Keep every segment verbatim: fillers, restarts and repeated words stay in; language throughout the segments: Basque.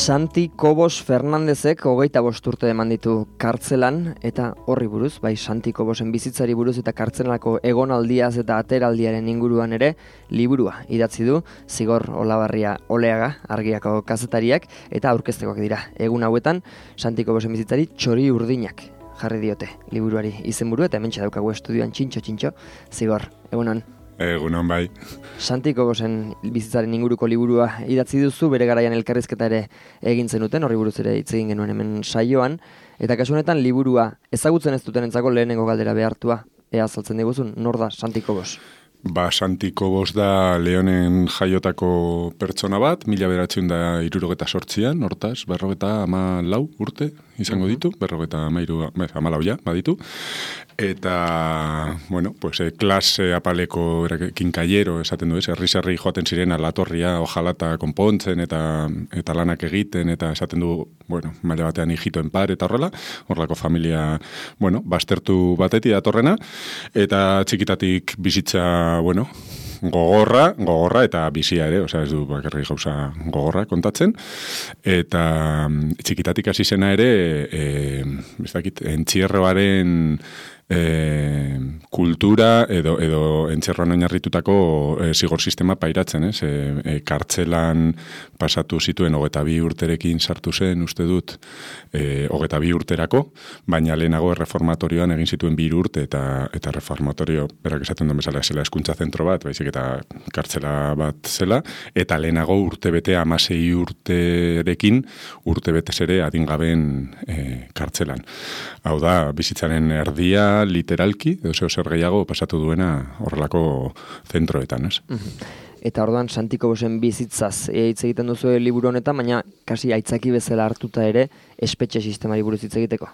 Santi Cobos Fernandezek hogeita bost urte eman ditu kartzelan, eta horri buruz, bai Santi Cobosen bizitzari buruz eta kartzelanako egonaldiaz eta ateraldiaren inguruan ere, liburua idatzi du Zigor Olabarria Oleaga, Argiako kazetariak, eta aurkeztekoak dira. Egun hauetan, Santi Cobosen bizitzari txori urdinak jarri diote liburuari izenburu, eta hementxe daukagu estudioan txintxo-txintxo, Zigor, egunon. Egunon bai. Santi Cobosen bizitzaren inguruko liburua idatzi duzu, bere garaian elkarrizketa ere egin zenuten, horri buruz ere hitz egin genuen hemen saioan, eta kasu honetan liburua ezagutzen ez dutenentzako lehenengo galdera behartua, ea azaltzen diguzun, nor da Santi Cobos? Ba, Santi Cobos da Leonen jaiotako pertsona bat, mila bederatziehun da hirurogeta sortzian, hortaz, berrogeta ama lau urte izango ditu, berrogeta amairu, ama lau ja, baditu. Eta, bueno, pues, eh, klase apaleko kinkaiero esaten du ez, herri-herri joaten ziren alatorria, ojalata konpontzen eta eta lanak egiten, eta esaten du, bueno, maila batean hijitoen par eta horrela, horrelako familia, bueno, bastertu batetik datorrena, eta txikitatik bizitza, bueno, gogorra, gogorra eta bizia ere, osea ez du bakarrik gauza gogorra kontatzen, eta txikitatik hasi zena ere, e, ez dakit, entzierroaren E, kultura edo, edo entzerroan oinarritutako e, zigor sistema pairatzen, ez? E, e, kartzelan pasatu zituen hogeita bi urterekin sartu zen, uste dut, e, hogeita bi urterako, baina lehenago erreformatorioan egin zituen bi urte eta, eta reformatorio, berak esaten duen bezala, zela hezkuntza zentro bat, baizik eta kartzela bat zela, eta lehenago urtebete hamasei urterekin, urtebetez ere adingaben e, kartzelan. Hau da, bizitzaren erdia, literalki, edo zeo zer gehiago pasatu duena horrelako zentroetan, ez? Eta orduan Santi Cobosen bizitzaz hitz egiten duzu liburu honetan, baina kasi aitzaki bezala hartuta ere espetxe sistemari buruz hitz egiteko.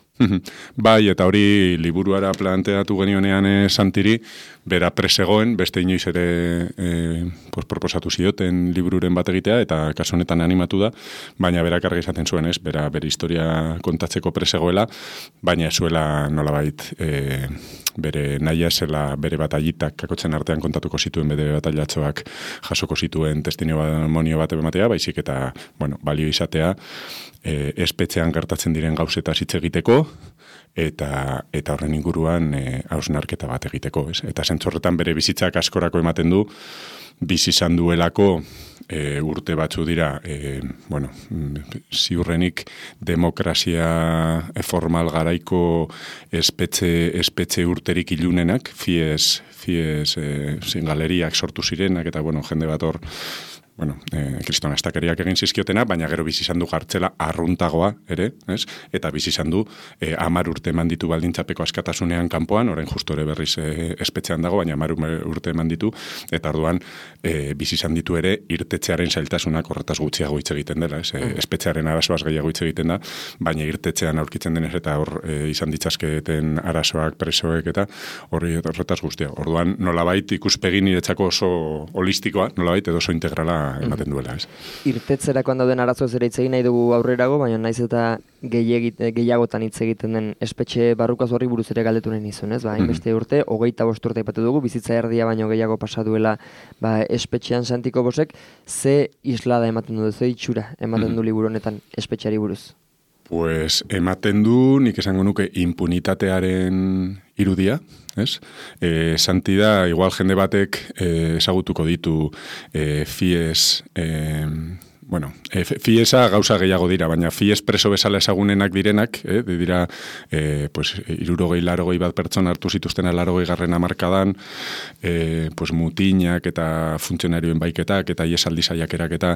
Bai, eta hori liburuara planteatu genionean e, Santiri, bera presegoen, beste inoiz ere e, pues, proposatu zioten libururen bat egitea, eta kasu honetan animatu da, baina berak argi izaten zuen, ez, bera bere historia kontatzeko presegoela, baina ez zuela nolabait e, bere nahia zela bere bataitak kakotzen artean kontatuko zituen bere batailatxoak jasoko zituen testimonio bat ematea, baizik eta, bueno, balio izatea, e, espetxean gertatzen diren gauzetaz hitz egiteko, eta eta horren inguruan e, hausnarketa bat egiteko, ez? Eta zentzorretan bere bizitzak askorako ematen du, bizi izan duelako e, urte batzu dira, e, bueno, ziurrenik demokrazia formal garaiko espetxe, espetxe urterik ilunenak, fies, fies e, zingaleriak sortu zirenak, eta bueno, jende bat hor, bueno, eh, kriston astakeriak egin zizkiotena, baina gero bizi izan du jartzela arruntagoa ere, ez? Eta bizi izan du eh, amar urte eman ditu baldintzapeko askatasunean kanpoan, orain justo ere berriz eh, espetxean dago, baina amar urte eman ditu, eta orduan eh, bizi izan ditu ere irtetzearen zailtasunak horretaz gutxiago hitz egiten dela, ez? Eh, espetxearen arazoaz gehiago hitz egiten da, baina irtetzean aurkitzen denez eta hor eh, izan ditzazketen arazoak, presoek eta horri horretaz guztia. Orduan nolabait ikuspegi niretzako oso holistikoa, nolabait edo oso integrala ematen duela, ez? Irtetzerakoan dauden arazoez ere hitz egin nahi dugu aurrerago, baina naiz eta gehiagotan hitz egiten den espetxe barrukaz horri buruz ere galdetu nahi nizun, ez? Ba, hainbeste urte, hogeita bost urte aipatu dugu, bizitza erdia baino gehiago pasa duela ba, espetxean Santi Cobosek, ze islada ematen du, ze itxura ematen du liburu honetan espetxeari buruz? Pues ematen du, nik esango nuke, impunitatearen irudia, ez? E, Santi da, igual jende batek e, ezagutuko ditu e, fies... E, bueno, e, fiesa gauza gehiago dira, baina fies preso bezala ezagunenak direnak, eh, dira, e, pues, irurogei, larogei bat pertsona hartu zituzten larogei garren hamarkadan, e, pues, mutinak eta funtzionarioen baiketak eta iesaldi saiakerak eta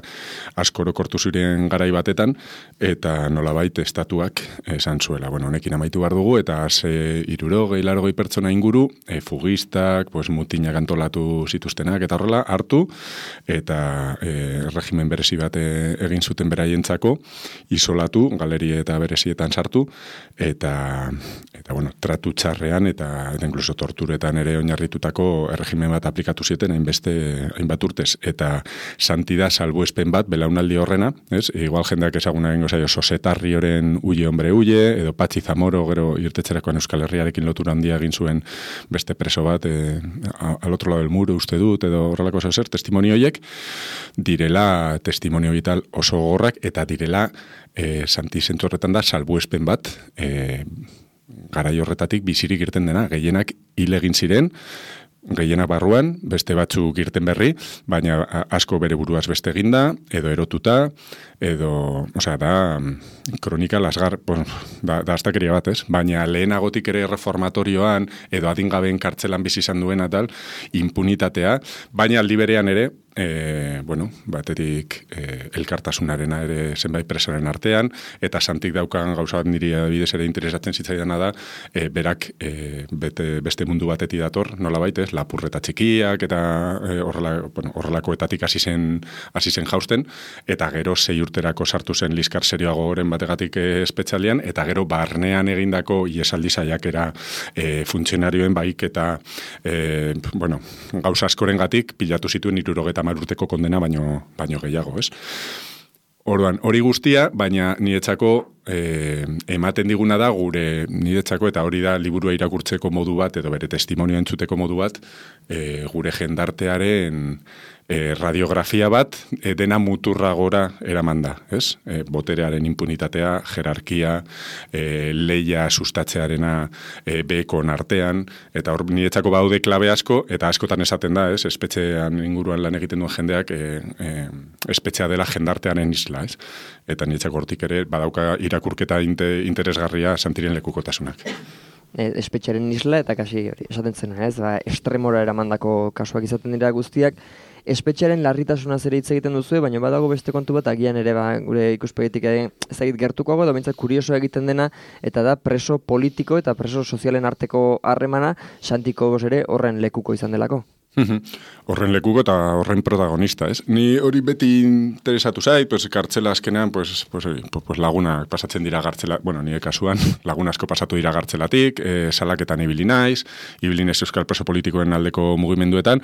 askoro kortu ziren garai batetan, eta nolabait estatuak esan zuela. Bueno, honekin amaitu behar dugu, eta ze irurogei, larogei pertsona inguru, e, fugistak, pues, mutinak antolatu zituztenak, eta horrela hartu, eta e, regimen berezi bat egin zuten beraientzako, isolatu, galerie eta berezietan sartu, eta, eta bueno, tratu txarrean eta, eta inkluso torturetan ere oinarritutako erregimen bat aplikatu zieten hainbeste, hainbat urtez. Eta Santi da salbuespen bat, belaunaldi horrena, ez? Igual jendeak ezaguna egingo zaio, Sosetarri horren Ulle hombre Ulle, edo Patxi Zamoro, gero irtetzerakoan Euskal Herriarekin lotura handia egin zuen beste preso bat, e, al otro lado del muro uste dut, edo horrelako zer, testimonioiek, direla testimonio vital oso gogorrak, eta direla, e, Santi zentzu horretan da, salbuespen bat, e, garai horretatik bizirik irten dena, gehienak hil egin ziren, gehienak barruan, beste batzuk irten berri, baina asko bere buruaz beste eginda, edo erotuta, edo, osea, da, kronika lasgar, pues, da, da astakeria bat, ez? Baina lehenagotik ere reformatorioan, edo adingabeen kartzelan bizi izan duena tal, impunitatea, baina aldi berean ere, E, bueno, batetik e, elkartasunarena ere zenbait presaren artean, eta Santik daukan gauza bat niri adibidez ere interesatzen zitzaidana da, e, berak e, bete, beste mundu batetik dator, nola baitez, lapurreta txikiak, eta e, horrela, bueno, horrelakoetatik hasi zen, hasi zen jausten, eta gero sei urterako sartu zen liskar serioago goren bategatik e, espetxalian, eta gero barnean egindako iesaldi saiakera e, funtzionarioen baik, eta e, bueno, gauza askorengatik pilatu zituen hirurogeta hamar urteko kondena baino, baino gehiago, ez? Orduan, hori guztia, baina niretzako e, ematen diguna da gure niretzako, eta hori da liburua irakurtzeko modu bat, edo bere testimonioa entzuteko modu bat, e, gure jendartearen e, radiografia bat, e, dena muturra gora eraman da, ez? E, boterearen impunitatea, jerarkia, e, leia sustatzearena e, bekon artean, eta hor niretzako baude klabe asko, eta askotan esaten da, ez? Espetxean inguruan lan egiten duen jendeak, e, e, espetxea dela jendartearen isla, ez? Eta niretzako hortik ere badauka irakurketa inte, interesgarria Santiren lekukotasunak. Espetxearen isla, eta kasi hori, esaten zen, ez? Ba, estremora eramandako kasuak izaten dira guztiak, espetxearen larritasuna ere hitz egiten duzu, baina badago beste kontu bat, agian ere ba, gure ikuspegitik ezagit gertukoago, da bintzat kurioso egiten dena, eta da preso politiko eta preso sozialen arteko harremana, Santiko Bos ere horren lekuko izan delako. Horren lekuko eta horren protagonista, ez? Ni hori beti interesatu zait, pues, kartzela azkenean, pues, pues, pues, lagunak pasatzen dira gartzela, bueno, nire kasuan, lagun asko pasatu dira gartzelatik, e, salaketan ibili naiz, ibili naiz euskal preso politikoen aldeko mugimenduetan,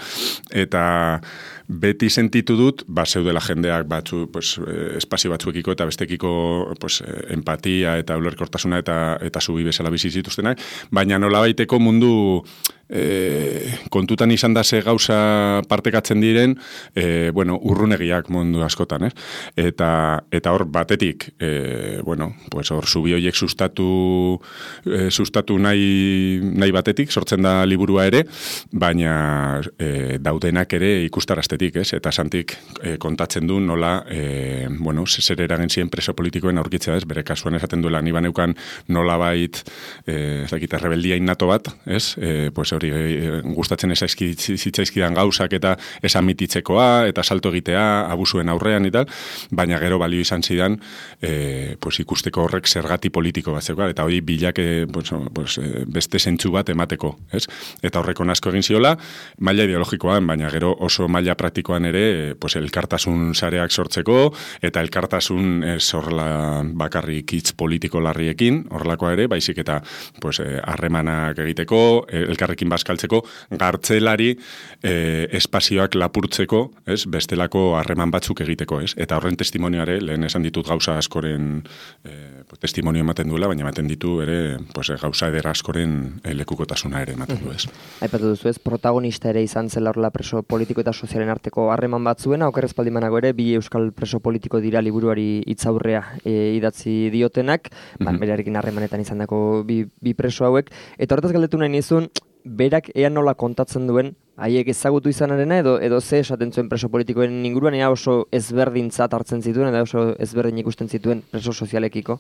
eta beti sentitu dut, ba, zeudela jendeak batzu, pues, espazio batzuekiko eta bestekiko pues, empatia eta ulerkortasuna eta, eta zubi bezala bizi zituztenak, baina nolabaiteko mundu E, kontutan izan da ze gauza partekatzen diren, e, bueno, urrunegiak mundu askotan, ez? Eta, eta hor batetik, e, bueno, pues hor zubi horiek sustatu, e, sustatu nahi, nahi batetik, sortzen da liburua ere, baina e, daudenak ere ikustaraztetik, ez? Eta Santik e, kontatzen du nola, e, bueno, zer eragen ziren preso politikoen aurkitzea, ez? Bere kasuan esaten duela, ni baneukan nola bait, e, ez dakit, rebeldia innato bat, ez? E, pues hori gustatzen zitzaizkidan gauzak eta esan mititzekoa, eta salto egitea, abusuen aurrean eta, baina gero balio izan zidan e, pues, ikusteko horrek zergati politiko bat zeuka, eta hori bilak e, pues, pues, beste zentzu bat emateko, ez? Eta horreko asko egin ziola, maila ideologikoan, baina gero oso maila praktikoan ere, pues, elkartasun sareak sortzeko, eta elkartasun ez horrela bakarrik hitz politiko larriekin, horrelakoa ere, baizik eta pues, harremanak egiteko, elkarrekin bazkaltzeko, gartzelari eh, espazioak lapurtzeko, ez, bestelako harreman batzuk egiteko, ez? Eta horren testimonioare, lehen esan ditut gauza askoren eh, testimonio ematen duela, baina ematen ditu ere pues, gauza edera askoren eh, lekukotasuna ere ematen du, ez? Aipatu duzu, ez, protagonista ere izan zela horrela preso politiko eta sozialen arteko harreman batzuena, okerrez paldimanago ere, bi euskal preso politiko dira liburuari hitzaurrea e, idatzi diotenak, mm-hmm. ba, berarekin harremanetan izan dako bi, bi preso hauek, eta horretaz galdetu nahi nizun, berak ea nola kontatzen duen, haiek ezagutu izanarena edo edo ze esaten zuen preso politikoen inguruan, ea oso ezberdintzat hartzen zituen, edo oso ezberdin ikusten zituen preso sozialekiko.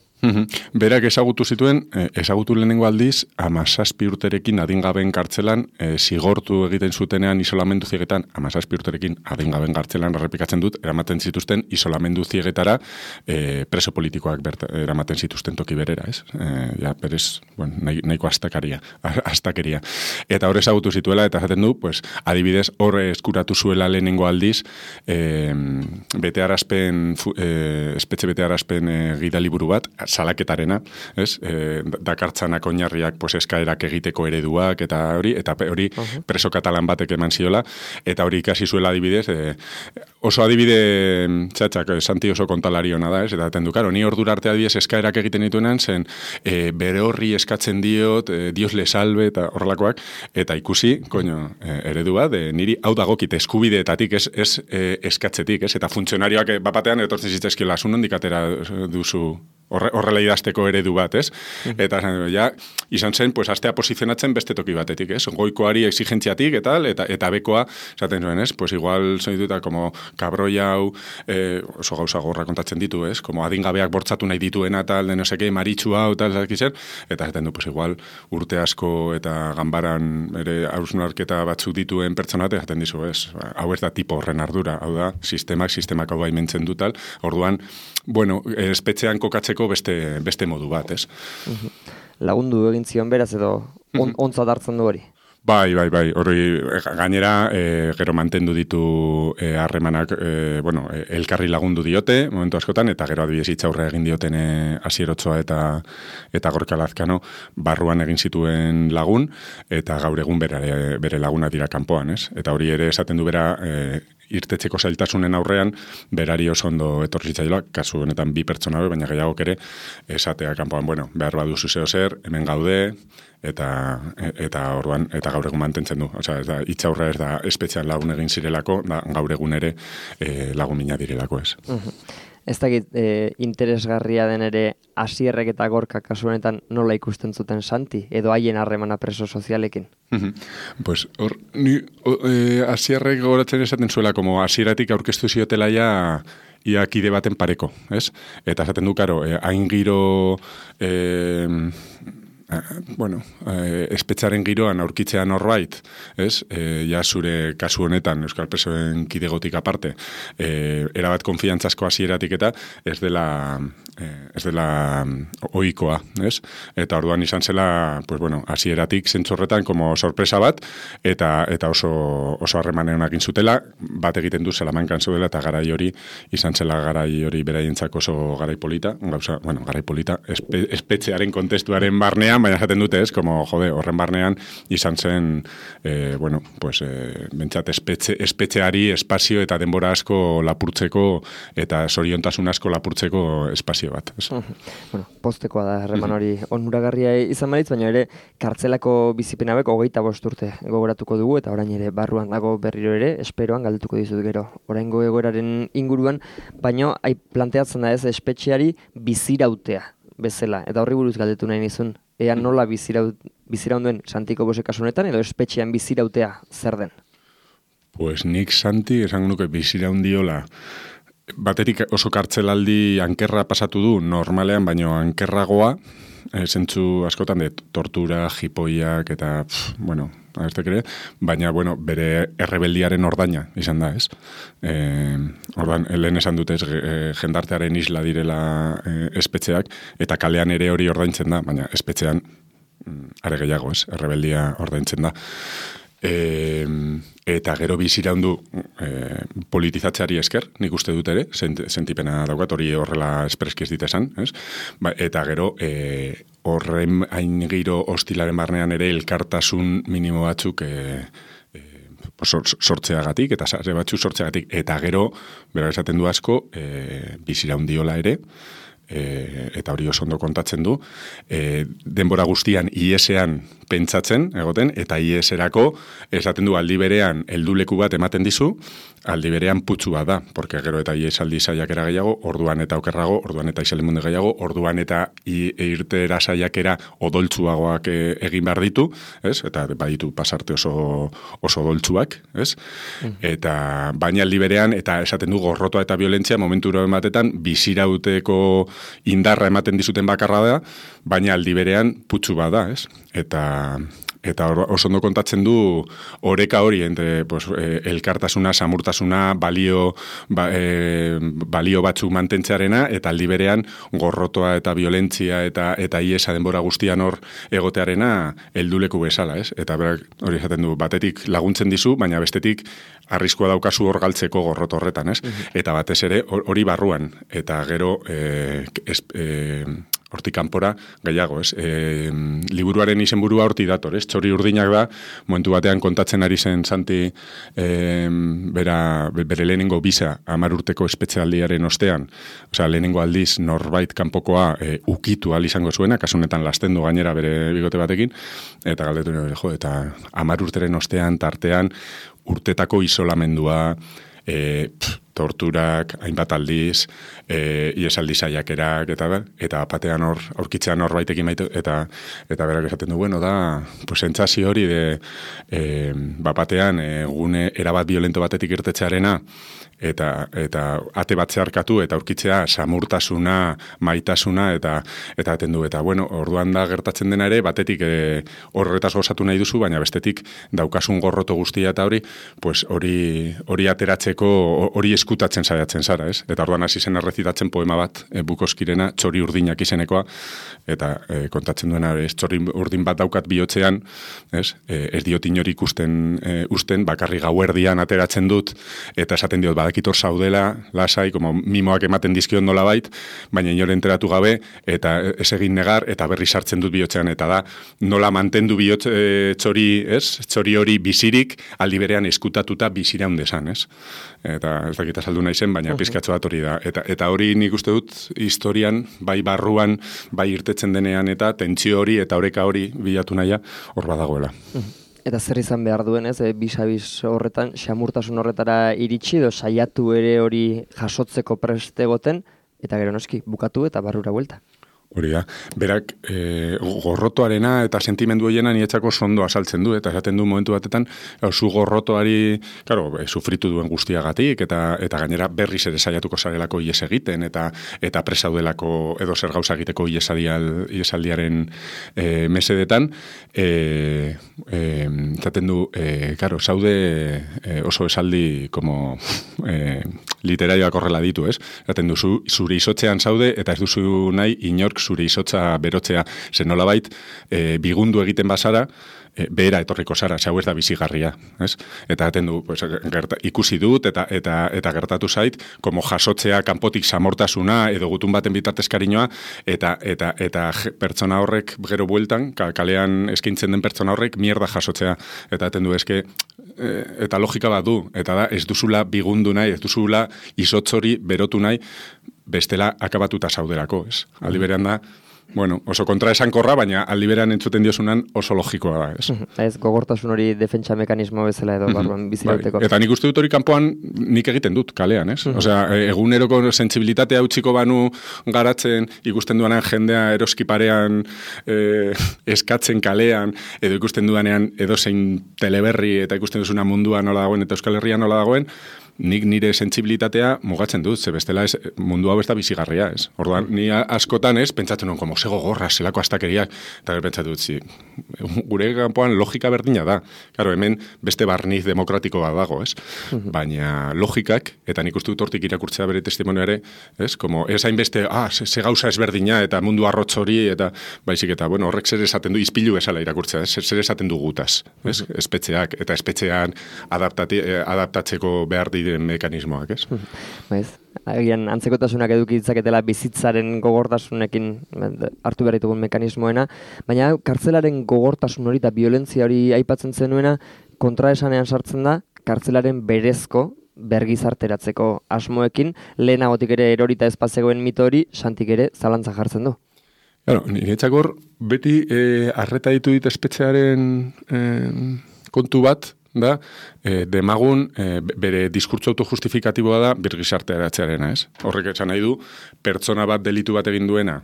Berak ezagutu zituen, ezagutu lehenengo aldiz, hamazazpi urterekin adingabeen kartzelan, e, zigortu egiten zutenean isolamendu ziegetan, hamazazpi urterekin adingabeen kartzelan errepikatzen dut, eramaten zituzten isolamendu ziegetara e, preso politikoak berta, eramaten zituzten toki berera, ez? E, ja, berez, bueno, nahi, nahiko astakeria, astakeria. Eta hor ezagutu zituela, eta esaten du, pues, adibidez, hor eskuratu zuela lehenengo aldiz, e, betearazpen, e, espetxe betearazpen e, gidaliburu bat, salaketarena, ez? E, dakartzanak oinarriak pues, eskaerak egiteko ereduak, eta hori, eta hori uh-huh. preso katalan batek eman ziola, eta hori ikasi zuela adibidez, e, oso adibide, txatxak, Santi oso kontalari hona da, ez? Eta atendu, karo, ni ordura arte adibidez eskaerak egiten dituenan, zen e, bere horri eskatzen diot, e, Dios le salve, eta horrelakoak, eta ikusi, koño, e, ere eredu bat, e, niri hau dagokit eskubideetatik, ez, ez e, eskatzetik, ez? Eta funtzionarioak bapatean etortzen zitzaizkiola, zu nondik atera duzu horre, horrela idazteko eredu bat, ez? Eta ja, izan zen, pues, astea posizionatzen beste toki batetik, ez? Goikoari exigentziatik eta, eta, eta bekoa, esaten zuen, ez? Pues igual, zoin duta, como kabroia hau, eh, oso gauza gorra kontatzen ditu, ez? Como adingabeak bortzatu nahi dituena, tal, de no seke, maritxu hau, tal, zakizen, eta esaten du, pues igual, urte asko eta ganbaran ere hausnarketa batzuk dituen pertsonate, esaten dizu, ez? Hau ez da tipo horren ardura, hau da, sistemak, sistemak hau baimentzen du, tal, orduan, bueno, espetxean kokatzeko beste, beste modu bat, ez? Lagundu egin zion beraz edo on, ontzat hartzen du hori? Bai, bai, bai, hori gainera e, gero mantendu ditu harremanak, e, bueno, elkarri lagundu diote, momentu askotan, eta gero adibidez itxaurre egin dioten e, Asierotzoa eta eta Gorka Lazkano barruan egin zituen lagun, eta gaur egun bere, bere laguna dira kanpoan, ez? Eta hori ere esaten du bera, e, irtetzeko zailtasunen aurrean, berari oso ondo etorri zitzaiola, kasu honetan bi pertsona, baina gehiagok ere, esatea kanpoan, bueno, behar baduzu zeo zer, hemen gaude, eta eta orduan eta gaur egun mantentzen du. Osea, ez da itxaurra ez da espetxean lagun egin zirelako, da gaur egun ere e, lagun mina direlako, ez. Uh-huh. Ez dakit e, interesgarria den ere Asierrek eta Gorka kasu honetan nola ikusten zuten Santi edo haien harremana preso sozialekin. Uh-huh. Pues hor ni e, Asierrek gogoratzen esaten zuela como Asieratik aurkeztu ziotela ja ia kide baten pareko, ez? Eta esaten du karo, e, hain giro e, bueno, eh, espetxaren giroan aurkitzea norbait, ez? Eh, ja zure kasu honetan Euskal Presoen kidegotik aparte, eh, erabat konfiantzasko hasieratik eta ez dela eh, ez dela ohikoa, ez? Eta orduan izan zela, pues bueno, hasieratik zentzorretan como sorpresa bat eta eta oso oso harremanen honekin zutela, bat egiten du Salamankan zuela eta garai hori izan zela garai hori beraientzako oso garai polita, gauza, bueno, garai polita, espe, espetxearen kontestuaren barnean, baina jaten dute, ez, como, jode, horren barnean izan zen, eh, bueno, pues, eh, bentsat, espetxe, espetxeari espazio eta denbora asko lapurtzeko eta zoriontasun asko lapurtzeko espazio bat. Ez. Bueno, postekoa da, herreman hori onuragarria izan maritz, baina ere, kartzelako bizipenabek hogeita bost urte gogoratuko dugu, eta orain ere barruan dago berriro ere, esperoan galdetuko dizut gero, oraingo egoeraren inguruan, baina ai planteatzen da ez, espetxeari bizirautea bezala, eta horri buruz galdetu nahi nizun, ea nola biziraunduen Santiko Bose kasu honetan, edo espetxean bizirautea zer den? Pues nik Santi esango nuke biziraundiola, baterik oso kartzelaldi ankerra pasatu du normalean, baino ankerragoa, e, zentzu askotan de tortura, jipoiak eta, pff, bueno, ez ere, baina, bueno, bere errebeldiaren ordaina izan da, ez? E, ordan, lehen esan dute, ez, e, jendartearen isla direla e, espetxeak, eta kalean ere hori ordaintzen da, baina espetxean are gehiago, ez? Errebeldia ordaintzen da. E, eta gero biziraundu e, politizatzeari esker, nik uste dut ere, sent, sentipena daukat, hori horrela espreski ez ditesan, ez? Ba, eta gero e, horren hain giro hostilaren barnean ere elkartasun minimo batzuk e, e, sortzeagatik, eta sare batzuk sortzeagatik, eta gero, bera esaten du asko, e, biziraundiola ere, E, eta hori oso ondo kontatzen du, e, denbora guztian I E-ean pentsatzen, egoten, eta I E-erako esaten du aldi berean helduleku bat ematen dizu, aldi berean putzua da, porque gero eta I E aldi saiakera gehiago, orduan eta okerrago, orduan eta isalimunde gehiago, orduan eta irtera saiakera odoltsuagoak e, egin behar ditu, ez? Eta baditu pasarte oso, oso odoltsuak, ez? Mm. Eta baina aldi berean, eta esaten du gorrotoa eta violentzia momenturo ematetan bizirauteko indarra ematen dizuten bakarra da, baina aldi berean putzu bada, ez? Eta eta oso ondo kontatzen du oreka hori entre pues, eh, elkartasuna, samurtasuna, balio ba, eh, balio batzuk mantentzearena eta aldi berean gorrotoa eta violentzia eta eta iesa denbora guztian hor egotearena helduleku bezala, ez? Eta berak hori esaten du, batetik laguntzen dizu, baina bestetik arriskua daukazu hor galtzeko gorroto horretan, ez? Uh-huh. Eta batez ere hori barruan, eta gero eh, es, eh, hortik kanpora gehiago, ez? E, liburuaren izenburua horti dator, ez? Txori urdinak da, momentu batean kontatzen ari zen Santi e, bera, bere lehenengo bisa hamar urteko espetxealdiaren ostean, osea, lehenengo aldiz norbait kanpokoa e, ukitu al izango zuena, kasunetan lastendu gainera bere bigote batekin, eta galdetu nire, jo, eta hamar urteren ostean, tartean, urtetako isolamendua, e, pff, torturak, hainbat aldiz, e, iesaldi saiakerak, eta eta batean hor, aurkitzean norbaitekin maitu, eta eta berak esaten du, bueno, da, pues, entzasi hori de, e, batean, e, gune erabat violento batetik irtetzearena, eta eta ate bat zeharkatu eta aurkitzea samurtasuna, maitasuna eta eta aten du eta bueno, orduan da gertatzen dena ere batetik e, horretaz gozatu nahi duzu, baina bestetik daukasun gorroto guztia eta hori, pues hori hori ateratzeko hori eskutatzen saiatzen zara, ez? Eta orduan hasi zen errezitatzen poema bat, e, Bukowskirena, Txori urdinak izenekoa, eta e, kontatzen duena, ez, txori urdin bat daukat bihotzean, ez? E, ez diot inori ikusten e, usten, bakarri gauerdian ateratzen dut, eta esaten diot, badakitor zaudela, lasai, como mimoak ematen dizkion nola bait, baina inore enteratu gabe, eta ez egin negar, eta berri sartzen dut bihotzean, eta da, nola mantendu bihotz e, txori, ez? Txori hori bizirik, aldi berean eskutatuta bizira hundesan, ez? Eta ez dakita saldu nahi zen, baina pizkatxo bat hori da. Eta, eta hori nik uste dut, historian, bai barruan, bai irtetzen denean, eta tentsio hori, eta oreka hori bilatu nahia, hor badagoela. Eta zer izan behar duen, ez, e, bis-a-bis horretan, xamurtasun horretara iritsi, edo saiatu ere hori jasotzeko preste egoten, eta gero noski, bukatu eta barrura buelta. Hori da, berak e, gorrotoarena eta sentimendu hoiena nietzako sondo asaltzen du, eta esaten du momentu batetan, zu gorrotoari, claro, e, sufritu duen guztiagatik, eta eta gainera berriz ere saiatuko zarelako ies egiten, eta eta presaudelako edo zer gauza egiteko iesaldial, iesaldiaren e, mesedetan, e, e, esaten du, e, claro, zaude e, oso esaldi como e, literarioak horrela ditu, ez? Esaten du, zu, zure izotzean zaude, eta ez duzu nahi inork zure izotza berotzea, zen nolabait, e, bigundu egiten bazara, e, behera etorriko zara, zau ez da bizigarria, ez? Eta aten du, pues, gerta, ikusi dut, eta, eta, eta gertatu zait, como jasotzea kanpotik samortasuna, edo gutun baten bitartez kariñoa, eta, eta, eta pertsona horrek gero bueltan, kalean eskaintzen den pertsona horrek, mierda jasotzea, eta aten du, eske, e, eta logika bat du, eta da, ez duzula bigundu nahi, ez duzula izotzori berotu nahi, bestela akabatuta zauderako, ez? Aldi berean da, bueno, oso kontra esankorra, baina aldi berean entzuten diosunan oso logikoa da, ez? Ez, gogortasun hori defentsa mekanismo bezala edo barruan bizirauteko. Bai. Eta nik uste dut hori kanpoan nik egiten dut kalean, ez? Osea, eguneroko sentsibilitatea utziko banu garatzen, ikusten duanean jendea eroski parean eh, eskatzen kalean, edo ikusten duanean edo zein teleberri eta ikusten duzuna mundua nola dagoen eta Euskal Herria nola dagoen, nik nire sentsibilitatea mugatzen dut, ze bestela ez, mundu hau ez da bizigarria, ez? Orduan, ni askotan ez, pentsatzen nuen, como sego gorra, zelako astakeriak, eta pentsatu dut, zi, gure kanpoan logika berdina da. Claro, hemen beste barniz demokratiko bat dago, ez? Baina logikak, eta nik uste dut hortik irakurtzea bere testimonioare, ez? Como, ez hainbeste, ah, ze, ze gauza ezberdina, eta mundu arrotz hori, eta baizik, eta, bueno, horrek zer esaten du, izpilu bezala irakurtzea, ez? Zer esaten du gutaz, ez? Espetxeak, eta espetxean adaptati, adaptatzeko behar diren mekanismoak, ez? Baiz, agian antzekotasunak eduki ditzaketela bizitzaren gogortasunekin hartu behar ditugun mekanismoena, baina kartzelaren gogortasun hori eta violentzia hori aipatzen zenuena kontraesanean sartzen da kartzelaren berezko bergizarteratzeko asmoekin, lehenagotik ere erorita espazegoen mito hori Santik ere zalantza jartzen du. Claro, niretzakor beti eh, arreta ditu dit espetxearen eh, kontu bat, da, e, demagun e, bere diskurtso autojustifikatiboa da birgizartea eratzearena, ez? Horrek esan nahi du, pertsona bat delitu bat egin duena,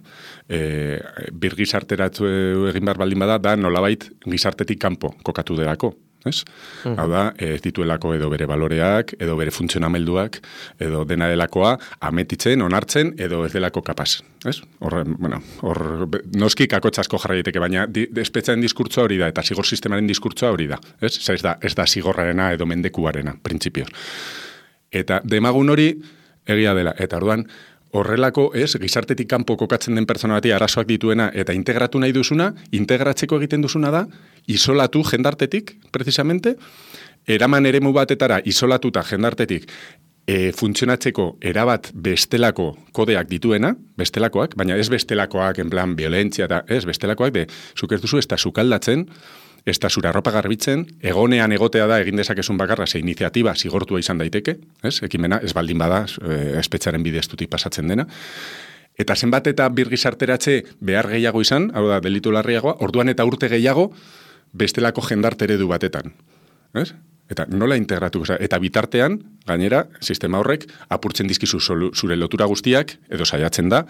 e, birgizarteratu egin behar baldin bada, da nolabait gizartetik kanpo kokatu delako, ez? Mm. Hau da, ez dituelako edo bere baloreak, edo bere funtzionamelduak, edo dena delakoa, ametitzen, onartzen, edo ez delako kapaz, ez? Hor, bueno, hor, noski kakotxasko jarra daiteke, baina di, espetxaren diskurtsoa hori da, eta zigor sistemaren diskurtsoa hori da, ez? Ez da, ez da zigorrarena edo mendekuarena, printzipioz. Eta demagun hori egia dela, eta orduan, horrelako, ez, gizartetik kanpo kokatzen den pertsona bati arazoak dituena eta integratu nahi duzuna, integratzeko egiten duzuna da, isolatu jendartetik, precisamente, eraman eremu batetara isolatuta jendartetik, e, funtzionatzeko erabat bestelako kodeak dituena, bestelakoak, baina ez bestelakoak, en plan, violentzia, eta ez bestelakoak, de, zuk ez duzu, ez da sukaldatzen, ez da zura ropa garbitzen, egonean egotea da egin dezakezun bakarra, ze iniziatiba zigortua izan daiteke, ez? Ekimena, ez baldin bada, e, espetxaren bideztutik pasatzen dena, eta zenbat eta birgizarteratze behar gehiago izan, hau da, delitu larriagoa, orduan eta urte gehiago, bestelako jendarte eredu batetan. Ez? Eta nola integratu, eta bitartean, gainera, sistema horrek apurtzen dizkizu zure lotura guztiak, edo saiatzen da,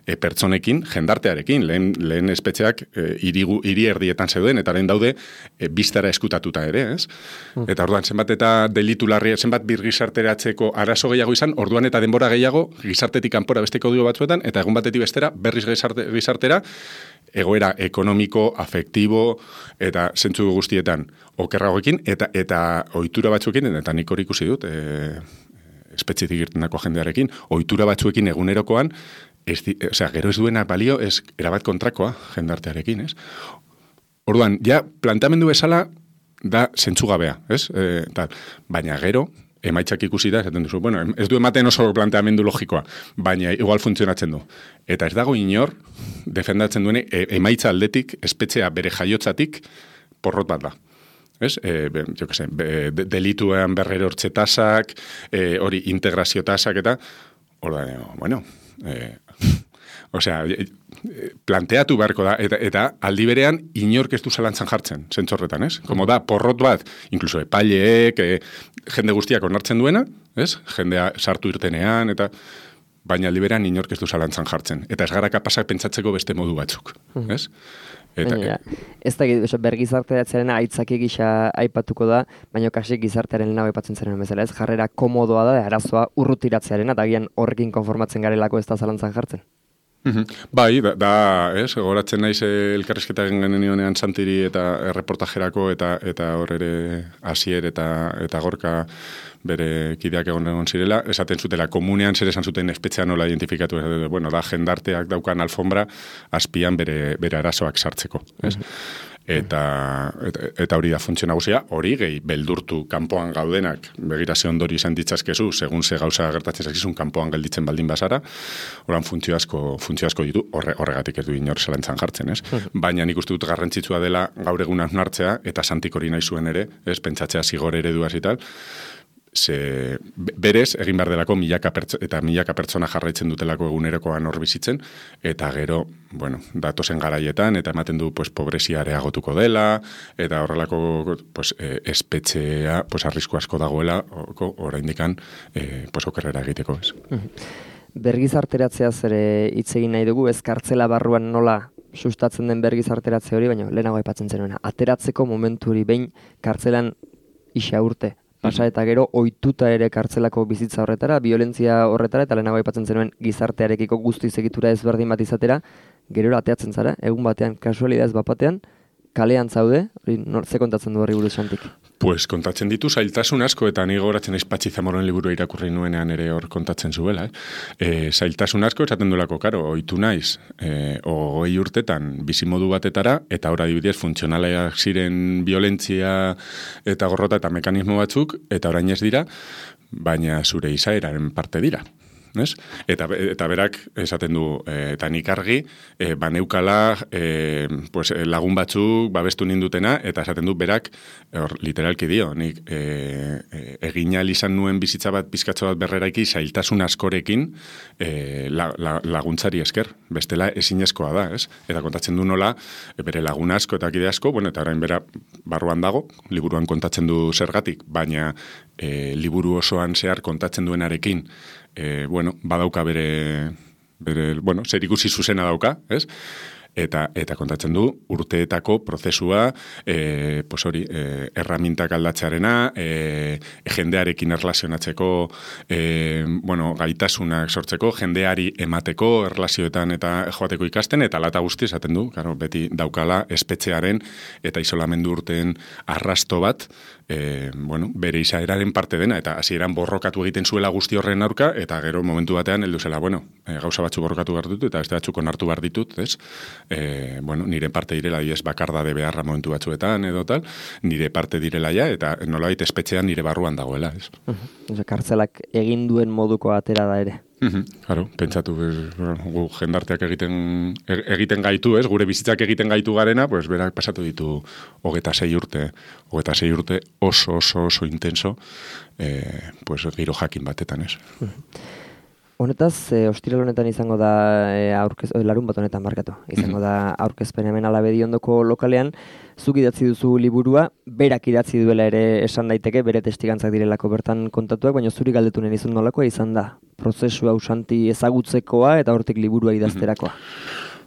e, pertsonekin, jendartearekin, lehen, lehen espetxeak e, irigu, iri erdietan zeuden, eta lehen daude, e, biztara eskutatuta ere, ez? Mm. Eta orduan, zenbat eta delitu larria, zenbat birgizarteratzeko arazo gehiago izan, orduan eta denbora gehiago, gizartetik kanpora beste kodio batzuetan, eta egun batetik bestera, berriz gizarte, gizartera, egoera ekonomiko, afektibo, eta zentzu guztietan okerragoekin, eta eta ohitura batzuekin, eta nik hori ikusi dut, e, espetxetik irtenako jendearekin, ohitura batzuekin egunerokoan, ez di, o sea, gero ez duena balio, ez erabat kontrakoa jendartearekin, ez? Orduan, ja, planteamendu bezala da zentzugabea, ez? E, tal. Baina gero, emaitzak ikusi da, esaten duzu, bueno, ez du ematen oso planteamendu logikoa, baina igual funtzionatzen du. Eta ez dago inor, defendatzen duene, e, emaitza aldetik, espetxea bere jaiotzatik, porrot bat da. Ez? E, be, jo que se, be, de, delituean berrero hortxe tasak, e, hori integrazio tasak eta, hori da, bueno, e, osea, planteatu beharko da, eta, eta aldi berean inork ez du zalantzan jartzen, zentzorretan, ez? Como da, porrot bat, inkluso epaileek, e, jende guztiak onartzen duena, ez? Jendea sartu irtenean, eta baina aldi berean inork ez du zalantzan jartzen. Eta ez gara kapasak pentsatzeko beste modu batzuk, ez? Eta, baina, ez da, bergizarteratzearen aitzaki gisa aipatuko da, baina kasi gizartearen lehenago aipatzen zen bezala, ez? Jarrera komodoa da, arazoa urrutiratzearen, eta agian horrekin konformatzen garelako ez da zalantzan jartzen. Mm-hmm. Bai, da, da ez, goratzen naiz elkarrizketa egin genenionean Santiri eta erreportajerako eta eta hor ere Asier eta eta Gorka bere kideak egon egon zirela, esaten zutela komunean zer esan zuten espetxean nola identifikatu, bueno, da jendarteak daukan alfombra azpian bere, bere arazoak sartzeko, ez? Mm-hmm. Eta, eta, eta hori da funtzio nagusia, hori gehi beldurtu kanpoan gaudenak, begirazio ondori izan ditzazkezu, segun ze gauza gertatzen zakizun kanpoan gelditzen baldin bazara, horan funtzio asko, funtzio asko ditu, horre, horregatik ez du inor zelantzan jartzen, ez? Baina nik uste dut garrantzitsua dela gaur egun hartzea, eta Santik hori nahi zuen ere, ez? Pentsatzea zigor ereduaz eta tal, ze berez egin behar delako milaka pertso, eta milaka pertsona jarraitzen dutelako egunerokoan hor bizitzen, eta gero, bueno, datozen garaietan, eta ematen du, pues, pobrezia areagotuko dela, eta horrelako, pues, eh, espetxea, pues, arrisku asko dagoela, oraindikan, eh, pues, okerrera egiteko, ez. Bergizarteratzea zere hitz egin nahi dugu, ez kartzela barruan nola sustatzen den bergizarteratze hori, baina lehenago aipatzen zenuena. Ateratzeko momentu hori behin kartzelan isa urte. Pasa eta gero ohituta ere kartzelako bizitza horretara, violentzia horretara, eta lehenago aipatzen zenuen gizartearekiko guztiz egitura ezberdin bat izatera, gero ateatzen zara, egun batean, kasualidadez bat batean, kalean zaude, hori ze kontatzen du horri buruz Santik? Pues kontatzen ditu zailtasun asko, eta ni gogoratzen naiz Patxi Zamoren liburu irakurri nuenean ere hor kontatzen zuela. Eh? E, zailtasun asko esaten duelako, karo, ohitu naiz, e, ogoi urtetan bizimodu batetara, eta hor adibidez funtzionaleak ziren violentzia eta gorrota eta mekanismo batzuk, eta orain ez dira, baina zure izaeraren parte dira. Ez? Eta, eta berak esaten du, e, eta nik argi, e, baneukala e, pues, lagun batzuk babestu nindutena, eta esaten du berak, or, literalki dio, nik e, e, egina izan nuen bizitza bat, pizkatxo bat berreraiki, zailtasun askorekin e, la, la, laguntzari esker, bestela ezinezkoa da, ez? Eta kontatzen du nola, e, bere lagun asko eta kide asko, bueno, eta orain bera barruan dago, liburuan kontatzen du zergatik, baina e, liburu osoan zehar kontatzen duenarekin, E, bueno, badauka bere, bere bueno, zer ikusi zuzena dauka, ez? Eta, eta kontatzen du urteetako prozesua, e, pues hori, e, erramintak aldatzearena, e, jendearekin erlazionatzeko, e, bueno, gaitasunak sortzeko, jendeari emateko, erlazioetan eta joateko ikasten, eta lata guzti esaten du, claro, beti daukala espetxearen eta isolamendu urteen arrasto bat, e, bueno, bere izaeraren parte dena, eta hasieran borrokatu egiten zuela guzti horren aurka, eta gero momentu batean heldu zela, bueno, e, gauza batzu borrokatu behar ditut, eta beste batzuk onartu behar ditut, ez? e, bueno, nire parte direla, ez bakardade beharra momentu batzuetan edo tal, nire parte direla ja, eta nolabait espetxean nire barruan dagoela, ez. Uh-huh. Kartzelak egin duen moduko atera da ere. Mhm, claro, pentsatu, gu jendarteak egiten egiten gaitu, ez? Gure bizitzak egiten gaitu garena, pues berak pasatu ditu hogeita sei urte, hogeita sei urte oso oso oso intenso, eh, pues giro jakin batetan, ez? Honetaz, e, ostiral honetan izango da e, aurkez, o, larun bat honetan markatu. Izango da aurkezpen hemen Alabedi ondoko lokalean, zuk idatzi duzu liburua, berak idatzi duela ere esan daiteke, bere testigantzak direlako bertan kontatuak, baina zuri galdetu nahi izan nolakoa izan da. Prozesu hau Santi ezagutzekoa eta hortik liburua idazterakoa.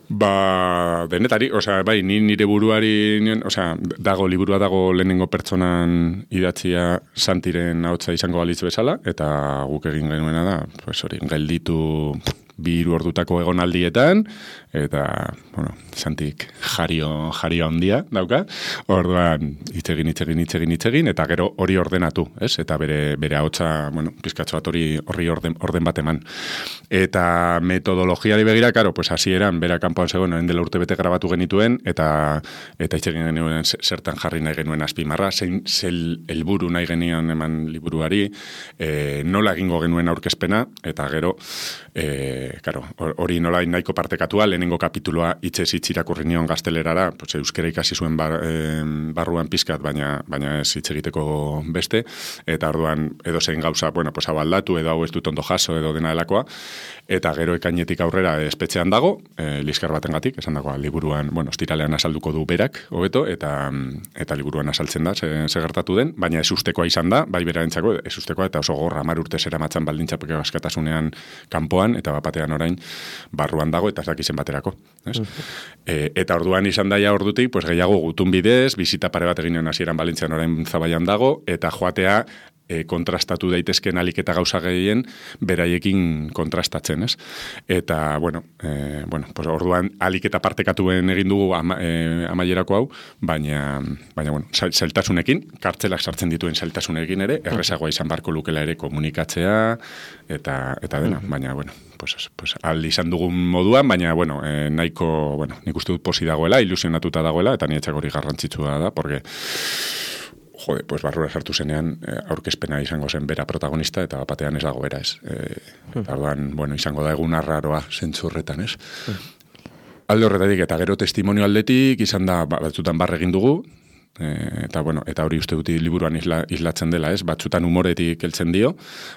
Ba, denetari, osea, bai, ni nire buruari, osea, dago, liburua dago lehenengo pertsonan idatzia Santiren ahotsa izango balitz bezala, eta guk egin genuena da, pues hori, gelditu bi hiru ordutako egonaldietan, eta, bueno, Santik jario, jario handia dauka, orduan, itzegin, itzegin, itzegin, itzegin, eta gero hori ordenatu, ez? Eta bere, bere ahotsa, bueno, pizkatxo bat hori horri orden, orden bat eman. Eta metodologiari begira, karo, pues hasieran bera kanpoan zegoen, orain dela urte bete grabatu genituen, eta eta itzegin genuen zertan jarri nahi genuen azpimarra, zein zel helburu nahi genion eman liburuari, e, nola egingo genuen aurkezpena, eta gero, e, karo, hori nola nahiko partekatua, lehenengo kapituloa hitzez hitz irakurri nion gaztelerara, pues, euskera ikasi zuen bar, e, barruan pizkat, baina, baina ez hitz egiteko beste, eta orduan edo zein gauza, bueno, pues hau aldatu, edo hau ez dut ondo jaso, edo dena delakoa, eta gero ekainetik aurrera espetxean dago, e, liskar batengatik, esan dagoa, liburuan, bueno, ostiralean azalduko du berak, hobeto, eta eta liburuan azaltzen da, ze, ze gertatu den, baina ez ustekoa izan da, bai berarentzako, ez ustekoa, eta oso gorra hamar urte zera matzan baldintzapeko askatasunean kanpoan, eta bapatean orain barruan dago, eta ez dakizen baterako. Ez? Uh-huh. E, eta orduan izan daia ordutik, pues, gehiago gutun bidez, bizita pare bat egin hasieran Balintzian orain Zabaian dago, eta joatea e, kontrastatu daitezken alik eta gauza gehien beraiekin kontrastatzen, ez? Eta, bueno, e, bueno pues orduan alik eta partekatuen egin dugu ama, e, amaierako hau, baina, baina bueno, zailtasunekin, kartzelak sartzen dituen zailtasunekin ere, errezagoa izan barko lukela ere komunikatzea, eta, eta dena, baina, bueno, pues, pues aldi izan dugun moduan, baina, bueno, eh, nahiko, bueno, nik uste dut posi dagoela, ilusionatuta dagoela, eta niretzak hori garrantzitsua da, porque, jode, pues barrura sartu zenean, eh, aurkezpena izango zen bera protagonista, eta batean ez dago bera, ez. Eh, eta orduan, bueno, izango da egun arraroa zentzurretan, ez. Alde horretatik, eta gero testimonio aldetik, izan da, batzutan barre egin dugu, E, eta bueno, eta hori uste duti liburuan isla, islatzen dela, ez? Batzutan humoretik heltzen dio,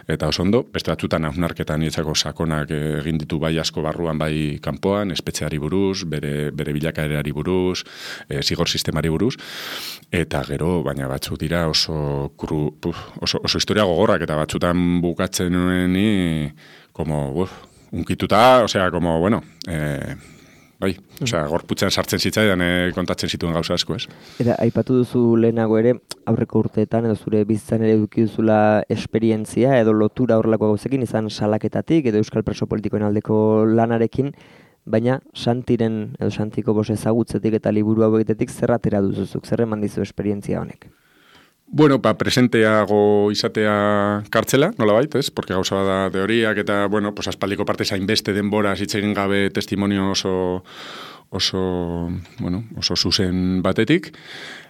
eta oso ondo, beste batzutan hausnarketan nietzako sakonak egin ditu bai asko barruan, bai kanpoan, espetxeari buruz, bere, bere bilakaerari buruz, e, zigor sistemari buruz, eta gero, baina batzuk dira oso, kru, puf, oso, oso historia gogorrak, eta batzutan bukatzen nueni, como, uf, unkituta, osea, como, bueno, eh, bai, osea, gorputzen sartzen zitzaidan e, kontatzen zituen gauza asko, ez? Eta aipatu duzu lehenago ere, aurreko urteetan edo zure bizitzan ere eduki duzula esperientzia edo lotura horrelako gauzekin, izan salaketatik edo euskal preso politikoen aldeko lanarekin, baina Santiren edo Santiko bos ezagutzetik eta liburu hau egitetik zer atera duzuzuk, zer eman dizu esperientzia honek? Bueno, ba, presenteago izatea kartzela, nolabait, ez? Porque gauza da teoriak eta, bueno, pues aspaldiko parte zain beste denbora zitzegin gabe testimonio oso, oso, bueno, oso zuzen batetik.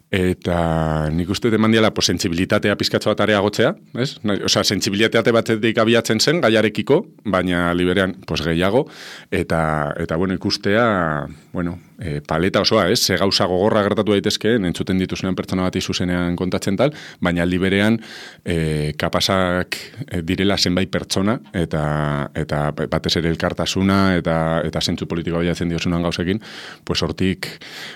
Eta nik uste eman diala, pues, sentsibilitatea pizkatxo bat areagotzea, ez? Osea, sentsibilitate batetik abiatzen zen, gaiarekiko, baina liberean, pues, gehiago, eta, eta bueno, ikustea, bueno, e, paleta osoa, ez? Ze gauza gogorra gertatu daitezkeen, entzuten dituzunean pertsona bat izuzenean kontatzen tal, baina liberean e, kapasak direla zenbait pertsona, eta, eta batez ere elkartasuna, eta, eta zentzu politikoa bilatzen diozunan gauzekin, pues, hortik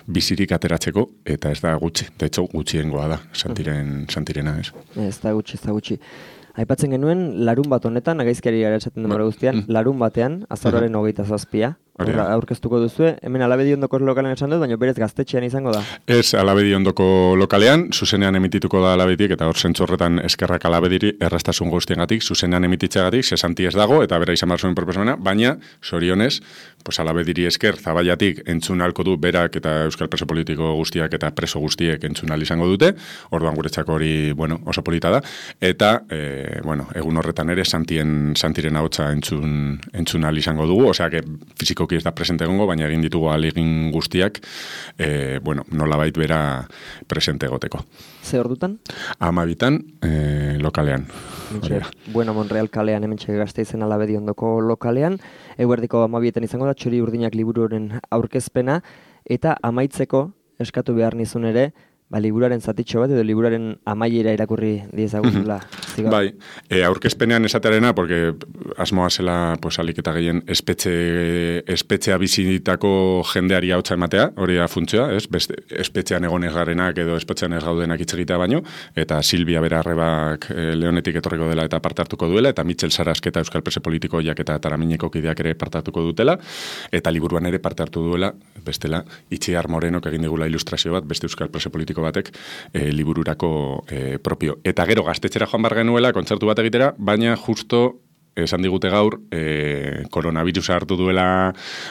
bizirik ateratzeko, eta ez da gutxi. De hecho, gutxiengoa da, Santiren, Santirena, ez? Ez da gutxi, ez da gutxi. Aipatzen genuen, larun bat honetan, agaizkiari gara esaten demora guztian, larun batean, azaroaren hogeita zazpia, aurkeztuko duzue, hemen Alabedi ondoko lokalean esan dut, baina berez gaztetxean izango da. Ez, Alabedi ondoko lokalean, zuzenean emitituko da Alabeditik, eta hor zentzorretan eskerrak Alabediri erraztasun guztiengatik, zuzenean emititzeagatik, ze Santi ez dago, eta bera izan behar zuen proposamena, baina, sorionez, pues Alabediri esker, Zabaiatik entzun halko du berak eta euskal preso politiko guztiak eta preso guztiek entzun ahal izango dute, orduan guretzako hori, bueno, oso polita da, eta, e, e, bueno, egun horretan ere Santien, Santiren ahotsa entzun, entzun ahal izango dugu, osea, que fizikoki ez da presente egongo, baina egin ditugu ahalegin guztiak, e, bueno, nolabait bera presente egoteko. Ze ordutan? Amabitan, e, lokalean. Mentxe, bueno, Monreal kalean, hementxe Gasteizen Alabedi ondoko lokalean, eguerdiko amabietan izango da, Txori Urdinak liburuaren aurkezpena, eta amaitzeko eskatu behar nizun ere, ba, liburuaren zatitxo bat edo liburuaren amaiera irakurri diezaguzula. Bai, e, aurkezpenean esatearena, porque asmoa zela, pues, alik eta gehien espetxe, espetxea bizitako jendeari hautsa ematea, hori da funtzioa, ez? Beste, espetxean egonez garenak edo espetxean ez gaudenak hitz egitea baino, eta Silvia Berarrebak e, Leonetik etorriko dela eta parte hartuko duela, eta Mitxel Sarasketa Euskal Prese Politikoiak eta Taramineko kideak ere parte hartuko dutela, eta liburuan ere parte hartu duela, bestela, Itziar Morenok egin digula ilustrazio bat, beste Euskal Prese Politiko batek e, libururako e, propio. Eta gero gaztetxera joan bar genuela, kontzertu bat egitera, baina justo esan digute gaur, e, koronavirusa hartu duela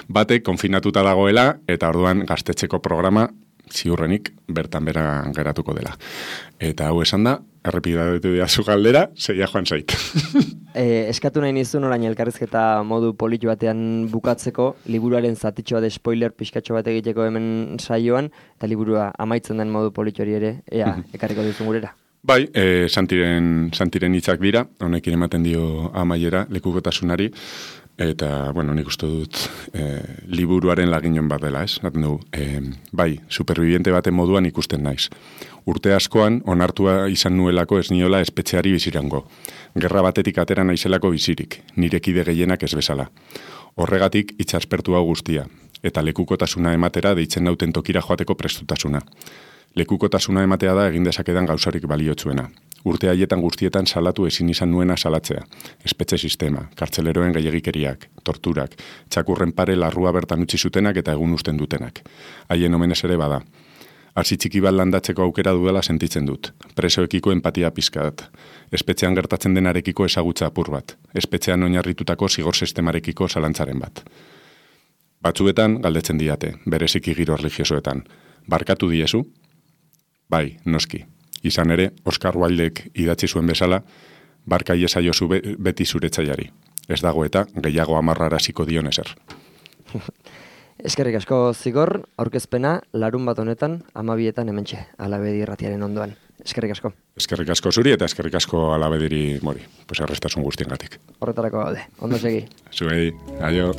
batek, konfinatuta dagoela, eta orduan gaztetxeko programa ziurrenik bertan bera geratuko dela. Eta hau esan da, errepidatu diazu galdera, zeia joan zait. e, eskatu nahi nizun orain elkarrizketa modu politu batean bukatzeko, liburuaren zatitxo bat spoiler pixkatxo bat egiteko hemen saioan, eta liburua amaitzen den modu politu hori ere, ea, ekarriko duzun gurera. Bai, e, Santiren, Santiren hitzak dira, honekin ematen dio amaiera lekukotasunari, eta, bueno, nik uste dut e, liburuaren laginon bat dela, ez? Naten dugu, e, bai, superviviente baten moduan ikusten naiz. Urte askoan, onartua izan nuelako ez niola espetxeari bizirango. Gerra batetik atera naizelako bizirik, nirekide gehienak ez bezala. Horregatik itxaspertu hau guztia, eta lekukotasuna ematera deitzen nauten tokira joateko prestutasuna. Lekukotasuna ematea da egin dezakedan gauzarik baliotsuena. Urte haietan guztietan salatu ezin izan nuena salatzea. Espetxe sistema, kartzeleroen gehiagikeriak, torturak, txakurren pare larrua bertan utzi zutenak eta egun usten dutenak. Haien omenez ere bada. Hasi txiki bat landatzeko aukera dudala sentitzen dut. Presoekiko empatia pizkat. Espetxean gertatzen denarekiko ezagutza apur bat. Espetxean oinarritutako zigor sistemarekiko zalantzaren bat. Batzuetan galdetzen diate, bereziki giro religiosoetan. Barkatu diezu? Bai, noski. Izan ere, Oskar Wildek idatzi zuen bezala, barka iezaiozu be, beti zuretzaiari. Ez dago eta gehiago amarraraziko dion ezer. Eskerrik asko Zigor, aurkezpena larun bat honetan, amabietan hementxe, Alabedi irratiaren ondoan. Eskerrik asko. Eskerrik asko zuri eta eskerrik asko Alabediri mori. Pues arrestasun guztiengatik. Horretarako gaude. Ondo segi. Zuei, aio.